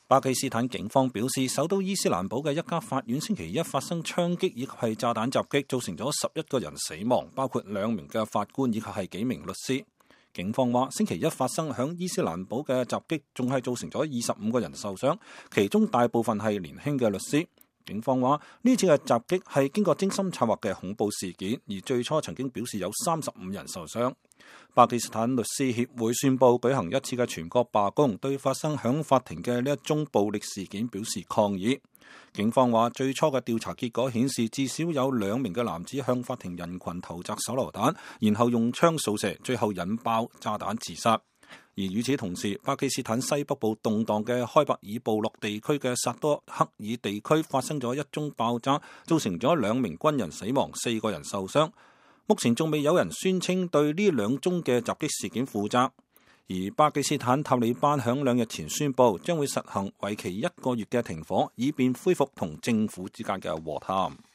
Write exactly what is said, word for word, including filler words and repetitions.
巴基斯坦警方表示，首都伊斯蘭堡嘅一家法院星期一發生槍擊以及係炸彈襲擊，造成咗十一個人死亡，包括兩名嘅法官以及係幾名律師。警方話，星期一發生響伊斯蘭堡嘅襲擊，仲係造成咗二十五個人受傷，其中大部分係年輕嘅律師。警方話，呢次嘅襲擊係經過精心策劃嘅恐怖事件，而最初曾經表示有三十五人受傷。巴基斯坦律師協會宣布舉行一次嘅全國罷工，對發生響法庭嘅呢一宗暴力事件表示抗議。警方話，最初嘅調查結果顯示，至少有兩名嘅男子向法庭人群投擲手榴彈，然後用槍掃射，最後引爆炸彈自殺。而與此同時，巴基斯坦西北部動盪嘅開伯爾部落地區嘅薩多克爾地區發生咗一宗爆炸，造成咗兩名軍人死亡，四個人受傷。目前仲未有人宣稱對呢兩宗嘅襲擊事件負責。而巴基斯坦塔利班響兩日前宣布，將會實行為期一個月嘅停火，以便恢復同政府之間嘅和談。